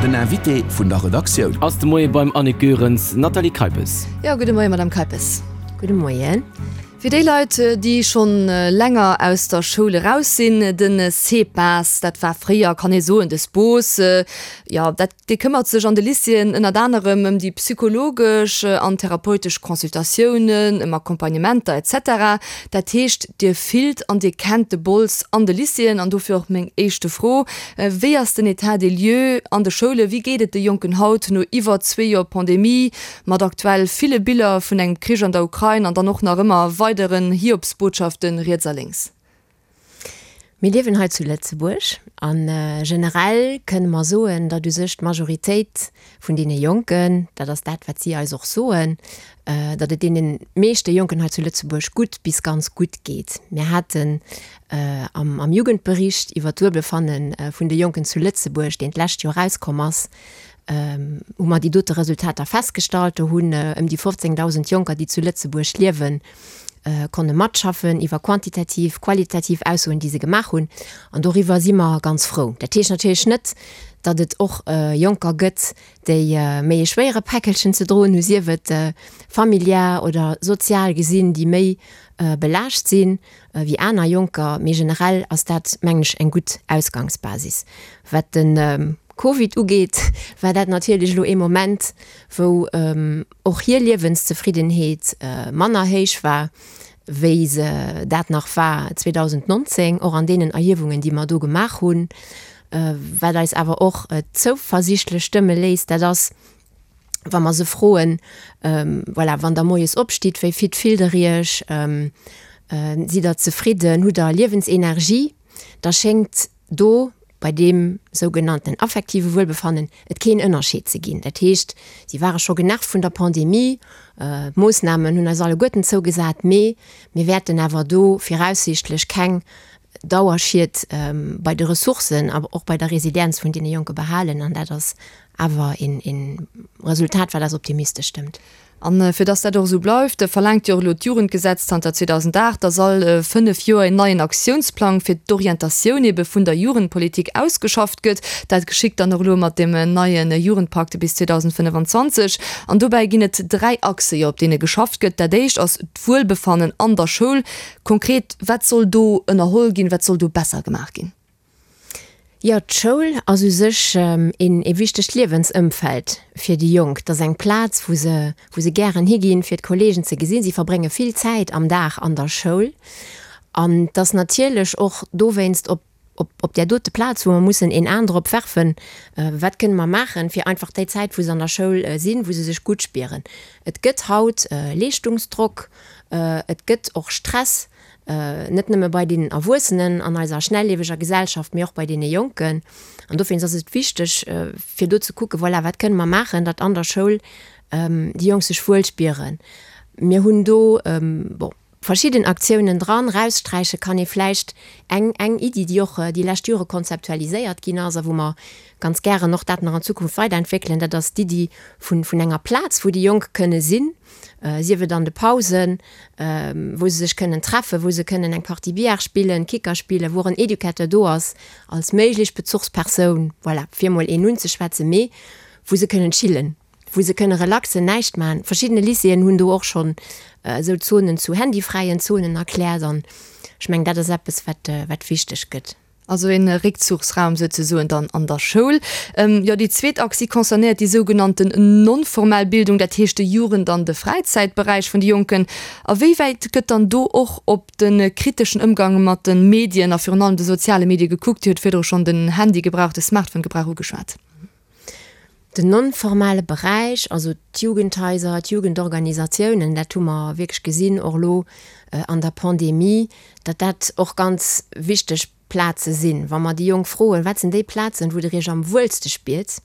Den Invité vun der Redaktioun. Ass de Moie beim Annick Goerens. Nathalie Keipes. Jo, gudde Moie Madame Keipes. Gudde Moien. Fir déi Leit, déi schonn länger aus der Schoul eraus sinn, de CEPAS, dat war fréier, kann ee soen, de SPOS, jo, dat, dee këmmert sech an de Lycéeën ënnert anerem ëm déi psychologesch an therapeutesch Consultatiounen, ëm Accompagnementer, etc. Dat heescht, Dir fillt an Dir kennt de Bols an de Lycéeën. An dofir och meng éischte Fro, Wéi ass den État des lieux an de Schoulen? Wéi geet et de Jonken haut no iwwer zwee Joer Pandemie? Mat aktuell ville Biller vun engem Krich an der Ukrain an dann och nach ëmmer weideren Hiobsbotschaften riets a lénks. Mir liewen hei zu Lëtzebuerg a generell kënne mer soen, datt u sech d'Majoritéit vun deene Jonken, dat ass dat, wat si eis och soen, datt et deene meeschte Jonken hei zu Lëtzebuerg gutt bis ganz gutt geet. Mir haten am Jugendbericht iwwer d'Wuelbefanne vun de Jonken zu Lëtzebuerg, deen d'lescht Joer erauskomm ass, hu mer déi dote Resultater festgestallt. Do hunn ëm déi 15.000 Jonker, déi zu Lëtzebuerg liewen, konne matschaffen iwwer quantitativ, qualitativ Aussoen, déi se gemaach hunn. An doriwwer si mer ganz frou. Dat heescht natierlech net, datt et och Jonker gëtt, déi méi e schwéiere Päckelchen ze droen hu, sief et familiär oder sozial gesinn, déi méi belaascht sinn wéi aner Jonker. Mee generell ass dat, mengen ech, eng gutt Ausgangsbasis. Wat de Covid ugeet, war dat natierlech elo ee Moment, wou och hir Liewenszefriddenheet manner héich war, wéi se dat nach war 2019, och an deenen Erhiewungen, déi mer do gemaach hunn. Wat eis awer och zouversichtlech stëmme léisst, dat ass, wa mer se froen, voilà, wann Der moies opstitt, wéi fit fillt Der Iech, sidd Der zefridden, hutt Der Liewensenergie, da schéngt do bei deem sougenannten affektive Wuelbefannen et keen Ënnerscheed ze ginn. Dat heescht, si ware scho genervt vun der Pandemie, d'Moossnamen hunn eis alleguerten zougesat, mee mir wäerten awer do viraussiichtlech keng Dauerschied bei de Ressourcen, awer och bei der Resilienz vun deene Jonke behalen. An dat ass awer een Resultat, wat eis optimistesch stëmmt. A fir dass dat och esou bleift, verlaangt jo och elo d'Jugendgesetz zanter 2008, dass all 5 Joer een neien Aktiounsplang fir d'Orientatioun ebe vun der Jugendpolitik ausgeschafft gëtt. Dat geschitt dann och elo mat deem neie Jugendpakt bis 2025. An dobäi ginn et 3 Achse jo, op deene geschafft gëtt. Dat éischt ass d'Wuelbefannen an der Schoul. Konkret, wat soll do ënnerholl ginn, wat soll do besser gemaach ginn? Jo, d'Schoul ass u sech een ee wichtegt Liewensëmfeld fir déi Jonk. Et ass eng Plaz, wou se, wou se gären higinn, fir d'Kolleegen ze gesinn. Si verbrénge vill Zäit am Dag an der Schoul. An et ass natierlech och dowéinst op, op, op där dote Plaz, wou mer mussen een An drop werfen, wat kënne mer maachen, fir einfach déi Zäit, wou se an der Schoul sinn, wou se sech gutt spieren. Et gëtt haut Leeschtungsdrock, et gëtt och Stress. Net nëmme bei deenen Erwuessenen an eiser schnellieweger Gesellschaft, mee och bei deene Jonken. An dowéinst ass et wichteg, fir do ze kucken, voilà, wat kënne mer maachen, datt an der Schoul déi Jonk sech wuel spieren. Mir hunn do, bon, verschidden Aktiounen dran. Raussträiche kann ee vläicht eng, eng Iddi, déi och déi lescht Jore konzeptualiséiert ginn ass a wou mer ganz gären och dat nach an Zukunft weiderentwéckelen, dat ass d'Iddi vun, vun enger Plaz, wou déi Jonk kënne sinn, sief et an de Pausen, wou se sech kënnen treffen, wou se kënnen eng Partie Billard spillen, Kicker spillen, wou och en Educateur do ass als méiglech Bezuchspersoun, voilà, fir emol een unzeschwätzen, mee wou se kënnen chillen, wou se kënne relaxen, näischt maachen. Verschiddene Lycéeën hunn do och schonn esou Zonen zu handyfräien Zonen erkläert an ech mengen, dat ass eppes, wat, wat wichteg gëtt. Also een Réckzuchsraum souzesoen dann an der Schoul. Jo, déi zweet Achs, si concernéiert déi sougenannten non-formell Bildung, dat heescht de Jugend an de Fräizäitberäich vun de Jonken. A wéi wäit gëtt dann do och op de kriteschen Ëmgang mat de Medien a virun allem de soziale Medie gekuckt? Dir hutt virdru schonn den Handygebrauch, de Smartphone-Gebrauch ugeschwat. Den non-formale Beräich, also d'Jugendhaiser, d'Jugendorganisatiounen, dat hu mer wierklech gesinn, och elo an der Pandemie, datt dat och ganz wichteg Plaze sinn. Wa mer déi Jonk froen, wat sinn déi Plazen, wou Der Iech am wuelste spiert,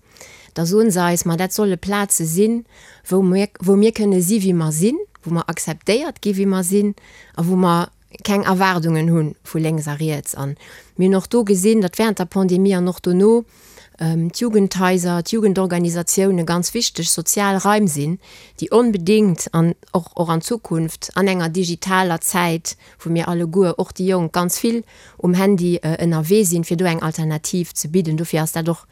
da soen se eis, ma dat solle Plaze sinn, wou mir, wou mir kënne si wéi mer sinn, wou mer akzeptéiert gi wéi mer sinn a wou mer keng Erwaardungen hu vu lénks a riets. An mir hunn och do gesinn, datt während der Pandemie an och dono d'Jugendhaiser, d'Jugendorganisatioune ganz wichteg sozial Raim sinn, déi onbedéngt an och och an Zukunft an enger digitaler Zäit, wou mir alleguer, och déi Jonk, ganz vill um Handy ënnerwee sinn, fir do eng Alternativ ze bidden. Dofir ass dat och.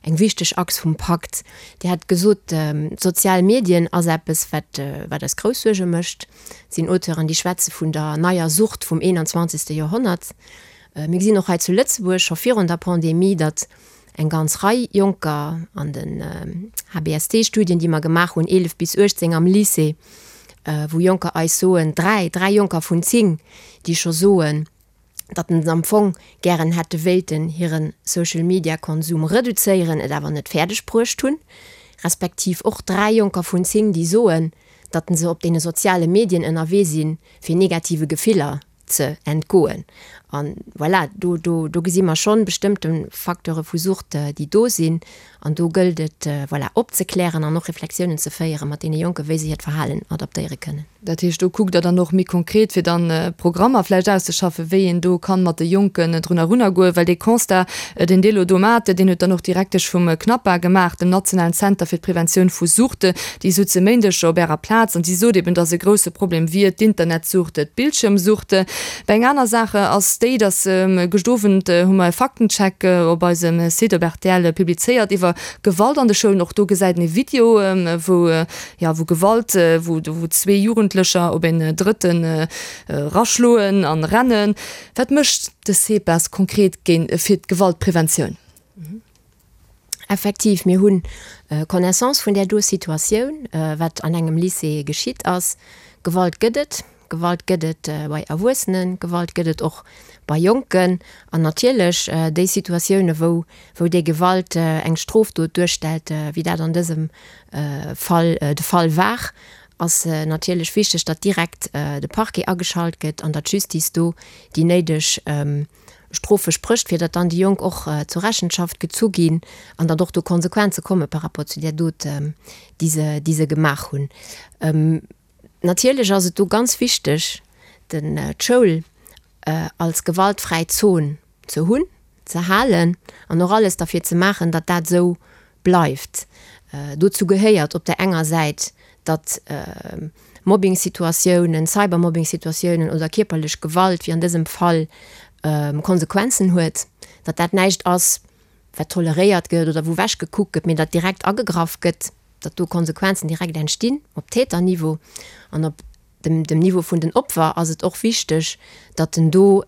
eng wichteg Achs vum Pakt. Dir hat gesot, d'sozial Medien ass eppes, wat, wat eis grouss Suerge mécht. Et sinn Auteuren, déi schwätze vun der neier Sucht vum 21. Joerhonnert. Mir gesinn och hei zu Lëtzebuerg scho virun der Pandemie, datt eng ganz Rei Jonker an den HBST-Studien, déi mer gemaach hunn, 11 bis 18 am Lycée, wou Jonker eis soen, dräi, dräi Jonker vun 10, déi scho soen, datt se am Fong gären hätte wéilten hire Social-Media-Konsum reduzéieren, et awer net fäerdeg bruecht hunn, respektiv och dräi Jonker vun 10, déi soen, datt se op deene soziale Medien ënnerwee sinn, fir negative Gefiller ze entgoen. A voilà, do, do, do gesi mer schonn bestëmmte Facteure vu Sucht, déi do sinn. An do gëllt et, voilà, opzeklären an och Reflexiounen ze féiere mat deene Jonken, wéi se hiert Verhalen adaptéiere kënnen. Dat heescht, do kuckt Der dann och méi konkret, fir dann Programmer vläicht auszeschaffen, wéi een do kann mat de Jonken drun erunnergoen, well dee Constat, deen Dir elo do maacht, deen huet dann och d'Direktesch vum CNAPA gemaach, dem nationalen Zenter fir d'Preventioun vu Suchte. Déi sutz e Méindeg op Ärer Plaz an si sot eben, datt e grousse Problem wier d'Internetsucht, d'Bildschirmsucht. Mä eng aner Saach ass déi, datt gëscht Owend hu mer e Faktencheck op eisem Site op rtl publizéiert iwwer Gewalt an de Schoulen. Och do gesäit een e Video, wou, jo, wou Gewalt, wou wou zwee Jugendlecher op een Drëtten raschloen an rennen. Wat mécht de CEPAS konkret géint fir d'Gewaltpreventioun? Effektiv, mir hu Connaissance vun där do Situatioun, wat an engem Lycée geschitt ass. Gewalt gëtt et. Gewalt gëtt et bei Erwuessenen, Gewalt gëtt et och bei Jonken. An natierlech déi Situatioune wou, wou déi Gewalt eng Strofdot duerstellt, wéi dat an dësem Fall de Fall war, ass natierlech wichteg, datt direkt de Parquet ageschalt gëtt an datt d'Justice do déi néideg Strofe sprécht, fir datt dann déi Jonk och zur Rechenschaft gezu ginn an datt och do Konsequenze komme par rapport zu där Dot, déi se, déi se gemaach hunn. Natierlech ass et do ganz wichteg, den, d'Schoul als gewaltfräi Zon ze hunn, ze halen an och alles derfir ze maachen, datt dat esou bleift. Dozou gehéiert op der enger Säit, datt Mobbing-Situatiounen, Cybermobbing-Situatiounen oder kierperlech Gewalt, wéi an dësem Fall, Konsequenzen huet, datt dat näischt ass, wat toleréiert gëtt oder wou wechgekuckt gëtt, mee datt direkt agegraff gëtt, datt do Konsequenzen direkt entstinn op Täterniveau an op dem dem Niveau vun den Opfer ass et och wichteg, datt en do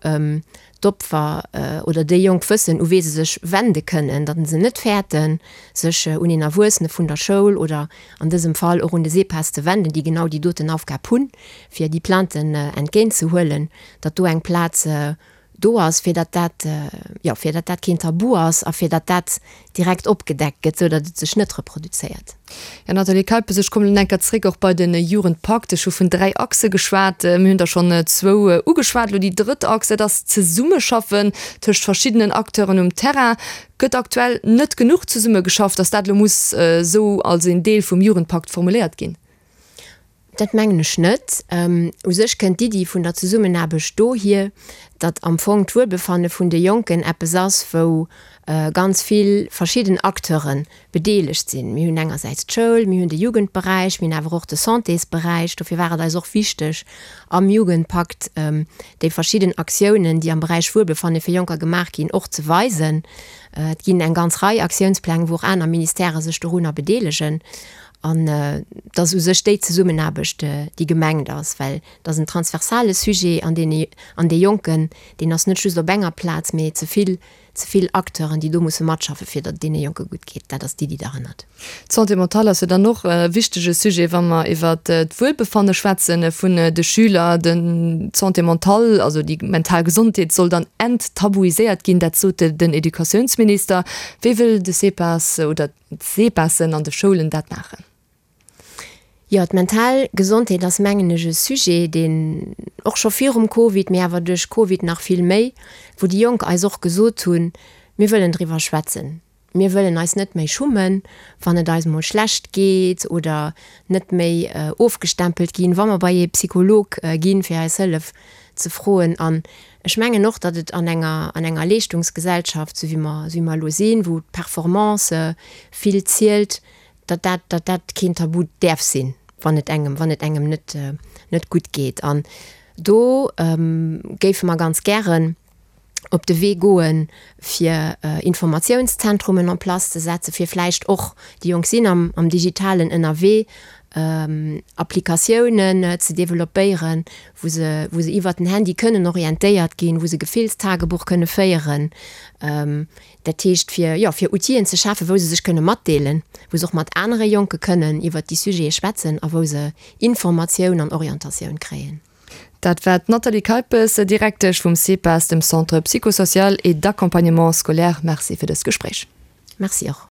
d'Opfer oder déi Jonk wëssen, u wee se sech wende kënnen, datt se net fäerten, sech un een Erwuessene vun der Schoul oder an dësem Fall och un de SEPAS ze wenden, déi genau déi doten Aufgab hunn, fir déi Plainten entgéintzehuelen, datt do eng Plaz do ass, fir datt dat, jo, fir datt dat keen Tabu ass a fir datt dat direkt opgedeckt gëtt, sou datt et sech net reproduzéiert. Jo, Nathalie Keipes, ech kommen elo enker zréck och bei de Jugendpakt. Ech hu vun 3 Achse geschwat. Mir hunn der schonn zwou ugeschwat. Elo déi drëtt Achs, dat ass d'Zesummeschaffen tëscht verschiddenen Acteuren um Terrain. Gëtt aktuell net genuch zesummegeschafft, datt dat elo muss esou als een Deel vum Jugendpakt formuléiert ginn? Dat mengen ech net. U sech kënnt d'Iddi vun der Zesummenaarbecht dohier, datt am Fong d'Wuelbefanne vun de Jonken eppes ass, wou ganz vill verschidden Acteure bedeelegt sinn. Mir hunn engersäits d'Schoul, mir hunn de Jugendberäich, mir hunn awer och de Santésberäich. Dofir war et eis och wichteg, am Jugendpakt déi verschidden Aktiounen, déi am Beräich Wuelbefanne fir Jonker gemaach ginn, och ze weisen. Et ginn eng ganz Rei Aktiounspläng, wou och aner Ministèrë sech dorunner bedeelegen. An et ass u sech déi Zesummenaarbecht, déi gemengt ass, well et ass en transversale Sujet an deen an dee Jonken, deen ass net just op enger Plaz, mee ze vill, ze vill Acteuren, déi do musse matschaffen, fir datt et deene Jonke gutt geet. Dat ass d'Iddi derhannert. D'Santé mentale ass jo dann och e wichtege Sujet, wa mer iwwert d'Wuelbefanne schwätze vun de Schüler. D'Santé mentale, also déi mental Gesondheet, soll dann enttabuiséiert ginn, dat sot den Educatiounsminister. Wéi wëll de CEPAS oder D'Sepasen an de Schoulen dat maachen. Jo, d'mental Gesondheet ass, mengen ech, e Sujet, deen och scho virum Covid, mee awer duerch Covid nach vill méi, wou déi Jonk eis och gesot hunn, Mir wëllen driwwer schwätzen. Mir wëllen eis net méi schummen, wann et eis mol schlecht geet oder net méi ofgestempelt ginn, wa mer bei ee Psycholog ginn, fir eis Hëllef ze froen. An ech mengen och, datt et an enger, an enger Leeschtungsgesellschaft, esou wéi mer, esou wéi mer elo sinn, wou d'Performance vill zielt, datt dat, datt dat keen Tabu däerf sinn, wann et engem, wann et engem net, net gutt geet. An do géife mer ganz gären. Op de Wee goen, fir Informatiounszentrumen en place ze setzen, fir vläicht och, déi Jonk sinn am am Digitalen ënnerwee, Applikatiounen ze developpéieren, wou se wou se iwwert den Handy kënnen orientéiert ginn, wou se Gefillstagebuch kënne féieren. Dat heescht, fir, jo, fir Outiller ze schafen, wou se sech kënne matdeelen, wou se och mat anere Jonke kënnen iwwert déi Sujete schwätzen a wou se Informatioun an Orientatioun kréien. Dat war d'Nathalie Keipes, Direktesch vum CEPAS, dem Centre psychosocial et d'accompagnement scolaire. Merci fir dëst Gespréich. Merci och.